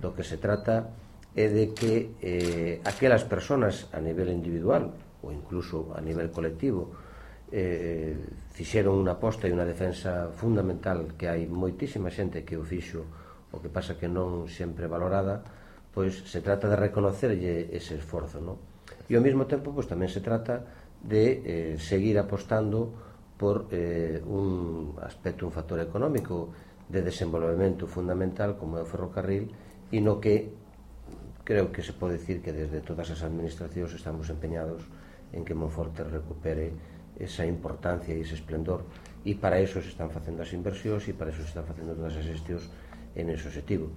do que se trata é de que aquelas persoas a nivel individual ou incluso a nivel colectivo fixeron unha aposta e unha defensa fundamental, que hai moitísima xente que o fixo, o que pasa que non sempre valorada, pois se trata de reconocerlle ese esforzo, non? E ao mesmo tempo pois tamén se trata de seguir apostando por un aspecto, un factor económico de desenvolvemento fundamental como é o ferrocarril, e no que creo que se pode dicir que desde todas as administracións estamos empeñados en que Monforte recupere esa importancia e ese esplendor, e para eso se están facendo as inversións e para eso se están facendo todas as xestións en ese objetivo.